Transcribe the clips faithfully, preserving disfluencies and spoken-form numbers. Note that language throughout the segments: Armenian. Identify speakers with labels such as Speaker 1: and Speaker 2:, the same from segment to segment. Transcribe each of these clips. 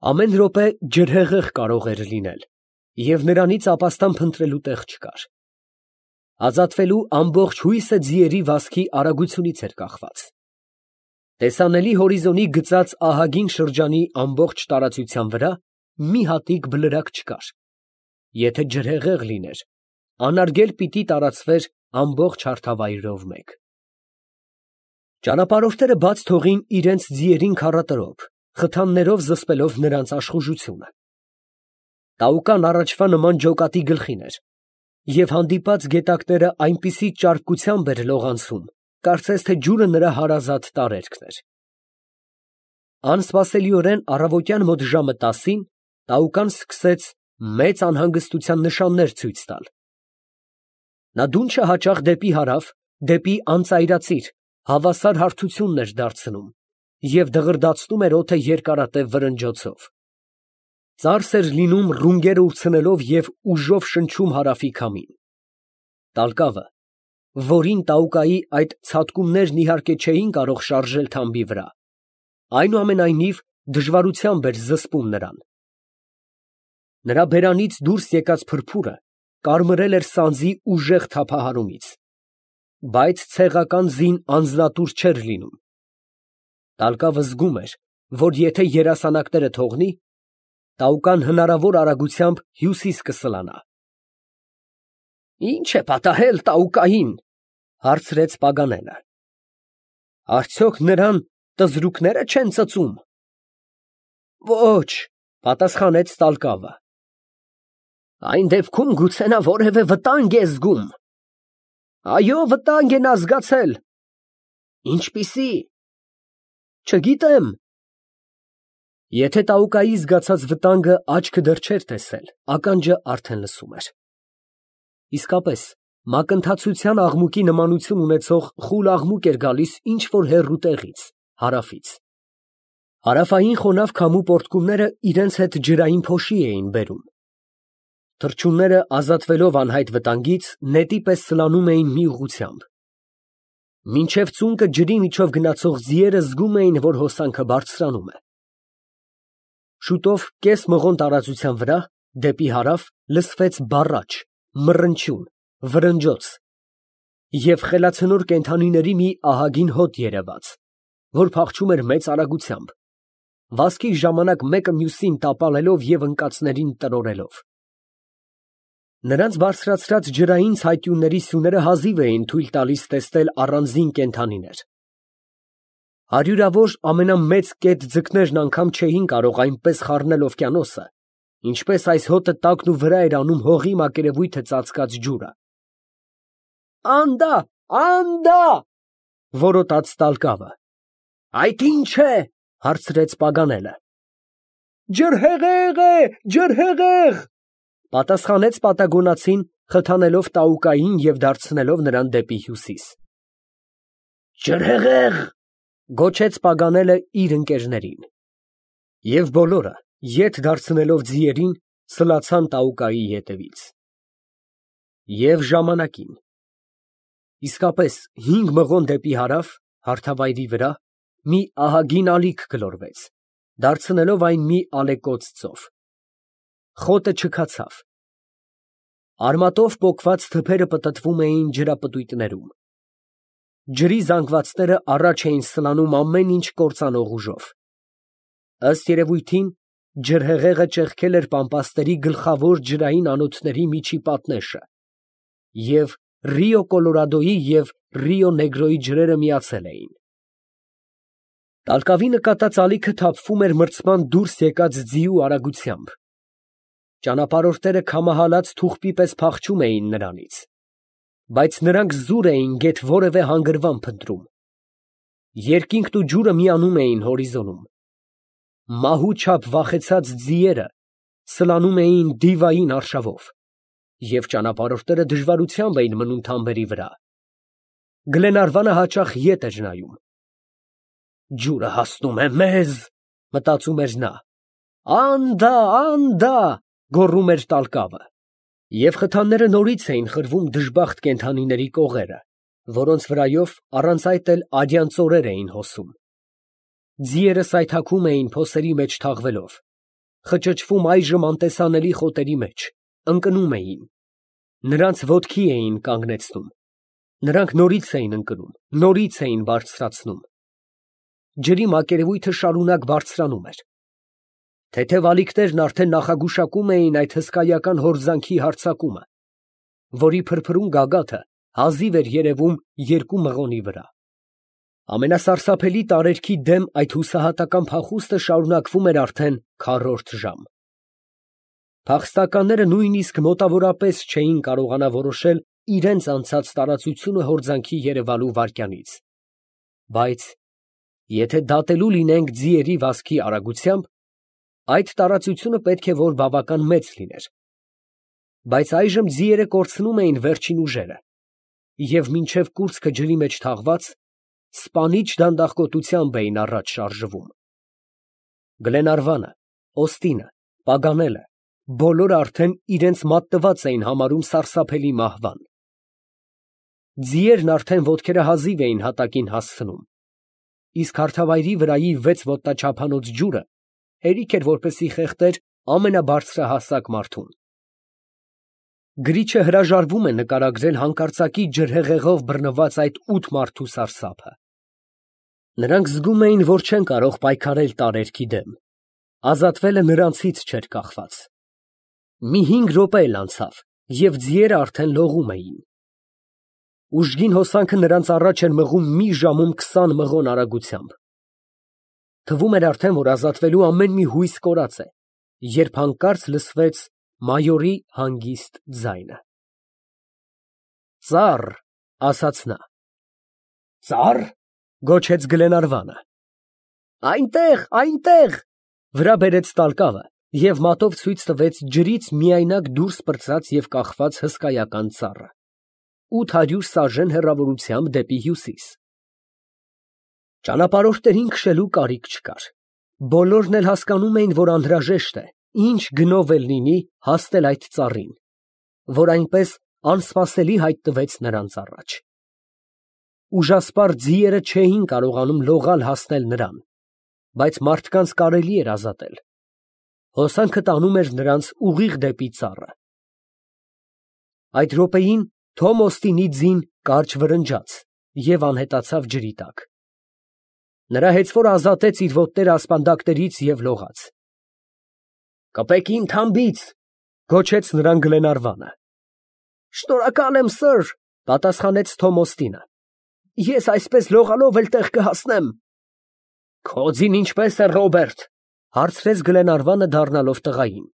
Speaker 1: Ամեն րոպե ջրհեղեղ կարող էր լինել, և նրանից ապաստան փնտրելու տեղ չկար. ազատվելու ամբողջ հույսը ձիերի վազքի արագությունից էր կախված. տեսանելի հորիզոնի գծած ահագին շրջանի ամբողջ տարածության վրա մի հատիկ բլրակ չկար. եթե ջրհեղեղ լիներ, անարգել պիտի տարածվեր ամբողջ հարթավայրով մեկ։ Ճանապարհորդները բաց թողին իրենց ձիերին քառատրոփ, խթաններով զսպելով նրանց աշխուժությունը։ Տաուկան առաջվա նման ջոկատի գլխին էր, և հանդիպած գետակները այնպիսի ճարպկությամբ էր լողանցում, կարծես թե ջուրը նրա հարազատ տարերքն էր։ Անսպասելիորեն առավոտյան մոտ ժամը տասին Տաուկան սկսեց մեծ անհանգստության նշաններ ցույց տալ։ Նա դունչը հաճախ դեպի հարավ, դեպի անծայրածիր, հավասար հարթությունն էր դարձնում և դղրդացնում էր օդը երկարատև վրնջոցով։ Ծարս էր լինում ռունգերը ուրցնելով և ուժով շնչում հարավի քամին։ Տալկավը, որին Տաուկայի այդ ցատկումներն իհարկե չէին կարող շարժել թամբի վրա, այնուամենայնիվ դժվարությամբ էր զսպում նրան։ Նրա բերանից դուրս եկած փրփուրը կարմրել էր սանձի ուժեղ թափահարումից, բայց ցեղական ձին անձնատուր չէր լինում։ Տալկավը զգում էր, որ եթե երասանակները թողնի, Տաուկան հնարավոր արագությամբ հյուսիս կսլանա։ «Ի՞նչ է պատահել Տաուկային» հարցրեց Պագանելը։ «Արդյոք նրան տզրուկները չեն ծծում»։ «Ոչ», պատասխանեց Տալկավը։ «Այն դեպքում գուցե նա որևէ վտանգ է զգում»։ «Այո, վտանգ է նա զգացել»։ «Ինչպիսի՞»։ «Չգիտեմ»։ Եթե Տաուկայի զգացած վտանգը աչքը դեռ չէր տեսել, ականջը արդեն լսում էր։ Իսկապես, մակընթացության աղմուկի նմանություն ունեցող խուլ աղմուկ էր գալիս ինչ֊որ հեռու տեղից, հարավից։ Հարավային խոնավ քամու պոռթկումները իրենց հետ ջրային փոշի էին բերում։ Թռչունները, ազատվելով անհայտ վտանգից, նետի պես սլանում էին մի ուղղությամբ։ Մինչև ծունկը ջրի միջով գնացող ձիերը զգում էին, որ հոսանքը բարձրանում է։ Շուտով կես մղոն տարածության վրա, դեպի հարավ, լսվեց բառաչ, մռնչյուն, վրնջոց, և խելացնոր կենդանիների մի ահագին հոտ երևաց, որ փախչում էր մեծ արագությամբ, վազքի ժամանակ մեկը մյուսին տապալելով և ընկածներին տրորելով։ Նրանց բարձրացրած ջրային ցայտյունների սյուները հազիվ էին թույլ տալիս տեսնել առանձին կենդանիներ։ Հարյուրավոր ամենամեծ կետ ձկներն անգամ չէին կարող այնպես խառնել օվկիանոսը, ինչպես այս հոտը տակն ու վրա էր անում հողի մակերևույթը ծածկած ջուրը։ «Անդա, անդա», որոտաց Տալկավը։ «Այդ ի՞նչ է», հարցրեց Պագանելը։ «Ջրհեղեղ է, ջրհեղեղ», պատասխանեց պատագոնացին, խթանելով Տաուկային և դարձնելով նրան դեպի հյուսիս։ «Ջրհեղեղ», գոչեց Պագանելը իր ընկերներին։ Եվ բոլորը, ետ դարձնելով ձիերին, սլացան Տաուկայի ետևից։ Եվ ժամանակին։ Իսկապես, հինգ մղոն դեպի հարավ, հարթավայրի վրա, մի ահագին ալիք գլորվեց, դարձնելով այն մի ալեկոծ ծով։ Խոտը չքացավ։ Արմատով պոկված թփերը պտտվում էին ջրապտույտներում։ Ջրի զանգվածները առաջ էին սլանում ամեն ինչ կործանող ուժով։ Ըստ երևույթին, ջրհեղեղը ճեղքել էր պամպասների գլխավոր ջրային անոթների միջի պատնեշը, և Ռիո Կոլորադոյի և Ռիո Նեգրոյի ջրերը միացել էին։ Տալկավի նկատած ալիքը թափվում էր մրցման դուրս եկած ձիու արագությամբ։ Ճանապարհորդները քամահալած թուղպի պես փախչում էին նրանից, բայց նրանք զուր էին գեթ որևէ հանգրվան փնտրում։ Երկինքն ու ջուրը միանում էին հորիզոնում։ Մահու չափ վախեցած ձիերը սլանում էին դիվային արշավով, և ճանապարհորդները դժվարությամբ էին մնում թամբերի վրա։ Գլենարվանը հաճախ ետ էր նայում։ «Ջուրը հասնում է մեզ», մտածում էր նա։ «Անդա, անդա», գոռում էր Տալկավը։ Եվ խթանները նորից էին խրվում դժբախտ կենդանիների կողերը, որոնց վրայով առանց այդ էլ արյան ծորեր էին հոսում։ Ձիերը սայթաքում էին փոսերի մեջ թաղվելով, խճճվում այժմ անտեսանելի խոտերի մեջ, ընկնում էին, նրանց ոտքի էին կանգնեցնում, նրանք նորից էին ընկնում, նորից էին բարձրացնում, ջրի մակերևույթը շարունակ բարձրանում էր, թեթև ալիքներն արդեն նախագուշակում էին այդ հսկայական հորձանքի հարձակումը, որի փրփրուն գագաթը հազիվ էր երևում երկու մղոնի վրա։ Ամենասարսափելի տարերքի դեմ այդ հուսահատական փախուստը շարունակվում էր արդեն քառորդ ժամ։ Փախստականները նույնիսկ մոտավորապես չէին կարողանա որոշել իրենց անցած տարածությունը հորձանքի երևալու վայրկյանից, բայց եթե դատելու լինենք ձիերի վազքի արագությամբ, այդ տարածությունը պետք է որ բավական մեծ լիներ, բայց այժմ ձիերը կորցնում էին վերջին ուժերը և մինչև կուրծքը ջրի մեջ թաղված, սպանիչ դանդաղկոտությամբ էին առաջ շարժվում։ Գլենարվանը, Օստինը, Պագանելը բոլորը արդեն իրենց մատնված էին համարում սարսափելի մահվան։ Ձիերն արդեն ոտքերը հազիվ էին հատակին հասցնում, իսկ հարթավայրի վրայի վեց ոտնաչափանոց ջուրը հերիք էր որպեսզի խեղդեր ամենաբարձրահասակ մարդուն։ Գրիչը հրաժարվում է նկարագրել հանկարծակի ջրհեղեղով բռնված այդ ութ մարդու սարսափը։ Նրանք զգում էին, որ չեն կարող պայքարել տարերքի դեմ, ազատվելը նրանցից չէր կախված։ Մի հինգ րոպե էլ անցավ, և ձիերը արդեն լողում էին։ Ուժգին հոսանքը նրանց առաջ էր մղում մի ժամում քսան մղոն արագությամբ։ Թվում էր արդեն, որ ազատվելու ամեն մի հույս կորած է, երբ հանկարծ լսվեց մայորի հանգիստ ձայնը։ «Ծառ», ասաց նա։ «Ծառ», գոչեց Գլենարվանը։ «Այնտեղ, այնտեղ», վրա բերեց տալկավը և մատով ցույց տվեց ջրից միայնակ դուրս պրծած և կախված հսկայական ծառը, ութ հարյուր սաժեն հեռավորությամբ դեպի հյուսիս։ Ճանապարհորդներին քշելու կարիք չկար, բոլորն էլ հասկանում էին, որ անհրաժեշտ է, ինչ գնով էլ լինի, հասնել այդ ծառին, որ այնպես անսպասելի հայտնվեց նրանց առաջ։ Ուժասպառ ձիերը չէին կարողանում լողալ հասնել նրան, բայց մարդկանց կարելի էր ազատել։ Հոսանքը տանում էր նրանց ուղիղ դեպի ծառը։ Այդ րոպեին Թոմ Օստինի ձին կարճ վրնջաց և անհետացավ ջրի տակ։ Նրա հեծվորը ազատեց իր ոտները ասպանդակներից և լողաց։ «Կպեք իմ թամբից», գոչեց նրան Գլենարվանը։ «Շնորհակալ եմ, սըր», պատասխանեց Թոմ Օստինը։ «Ես այսպես լողալով էլ տեղ կհասնեմ»։ «Քո ձին ինչպե՞ս է, Ռոբերտ», հարցրեց Գլենարվանը դառնալով տղային։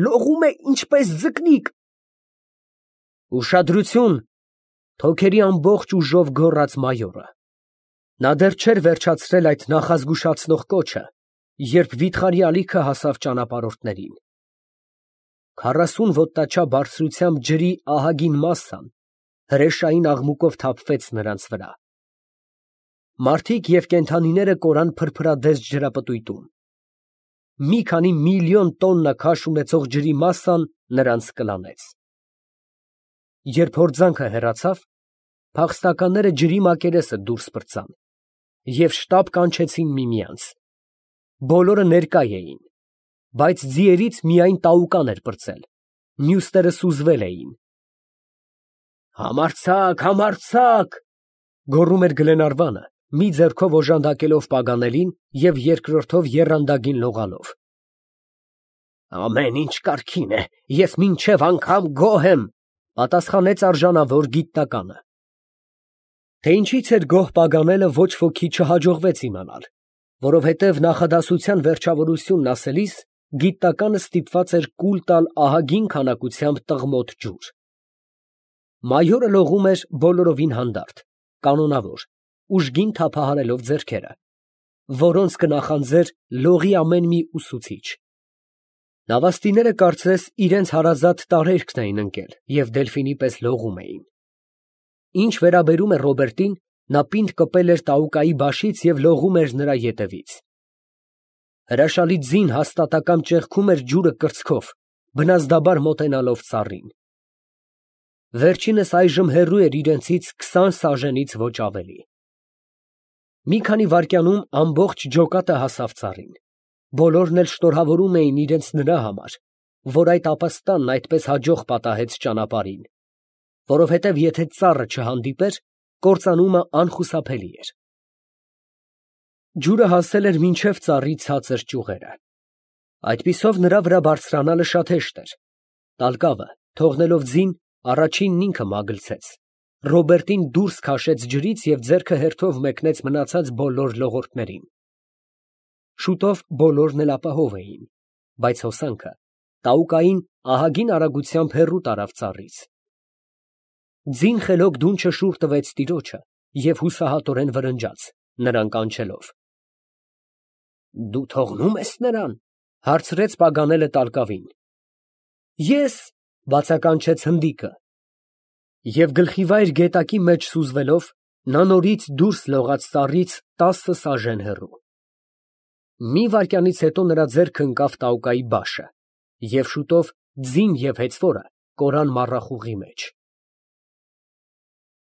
Speaker 1: «Լողում է ինչպես ձկնիկ»։ «Ուշադրություն», թոքերի ամբողջ ուժով գոռաց մայորը։ Նա դեռ չէր վերջացրել այդ նախազգուշացնող կոչը, երբ վիթխարի ալիքը հասավ ճանապարհորդներին։ Քառասուն ոտնաչափ բարձրությամբ ջրի ահագին մասսան հրեշային աղմուկով թափվեց նրանց վրա։ Մարդիկ և կենդանիները կորան փրփրադես ջրապտույտում։ Մի քանի միլիոն տոննա քաշ ունեցող ջրի մասսան նրանց կլանեց։ Երբ հորձանքը հեռացավ, փախստականները ջրի մակերեսը դուրս պրծան և շտապ կանչեցին միմյանց։ Բոլորը ներկա էին, բայց ձիերից միայն Տաուկան էր պրծել, մյուսները սուզվել էին։ «Համարձակ, համարձակ», գոռում էր Գլենարվանը, մի ձեռքով օժանդակելով Պագանելին և երկրորդով եռանդագին լողալով։ «Ամեն ինչ կարգին է, ես մինչև անգամ գոհ եմ», պատասխանեց արժանավոր գիտնականը։ Թե ինչից էր գոհ Պագանելը, ոչ ոքի չհաջողվեց իմանալ, որովհետև նախադասության վերջավորությունն ասելիս գիտնականը ստիպված էր կուլ տալ ահագին քանակությամբ տղմոտ ջուր։ Մայորը լողում էր բոլորովին հանդարտ, կանոնավոր, ուժգին թափահարելով ձեռքերը, որոնց կնախանձեր լողի ամեն մի ուսուցիչ։ Նավաստիները կարծես իրենց հարազատ տարերքն էին ընկել և դելֆինի պես լողում էին։ Ինչ վերաբերում է Ռոբերտին, նա պինդ կպել էր Տաուկայի բաշից և լողում էր նրա ետևից։ Հրաշալի ձին հաստատակամ ճեղքում էր ջուրը կրծքով, բնազդաբար մոտենալով ծառին։ Վերջինս այժմ հեռու էր իրենցից քսան սաժենից ոչ ավելի։ Մի քանի վայրկյանում ամբողջ ջոկատը հասավ ծառին, Բոլորն էլ շնորհավորում էին իրենց նրա համար, որ այդ ապաստանն այդպես հաջող պատահեց ճանապարհին, որովհետև եթե ծառը չհանդիպեր, կործանումը անխուսափելի էր։ Ջուրը հասել էր մինչև ծառի ցածր ճյուղերը։ Այդպիսով նրա վրա բարձրանալը շատ հեշտ էր։ Տալկավը, թողնելով ձին, առաջինն ինքը մագլցեց, Ռոբերտին դուրս քաշեց ջրից և ձեռքը հերթով մեկնեց մնացած բոլոր լողորդներին։ Շուտով բոլորն էլ ապահով էին, բայց հոսանքը տաուկային ահագին արագությամբ հեռու տարավ ծառից։ Ձին խելոք դունչը շուռ տվեց տիրոջը և հուսահատորեն վրնջաց, նրան կանչելով։ ֊ Դու թողնո՞ւմ ես նրան, ֊ հարցրեց Պագանելը տալկավին։ ֊ Ես, ֊ բացականչեց հնդիկը։ Եվ գլխիվայր գետակի մեջ սուզվելով, նա նորից դուրս լողաց ծառից տասը սաժեն հեռու։ Մի վայրկյանից հետո նրա ձեռքը ընկավ տաուկայի բաշը, և շուտով ձին և հեծվորը կորան մառախուղի մեջ։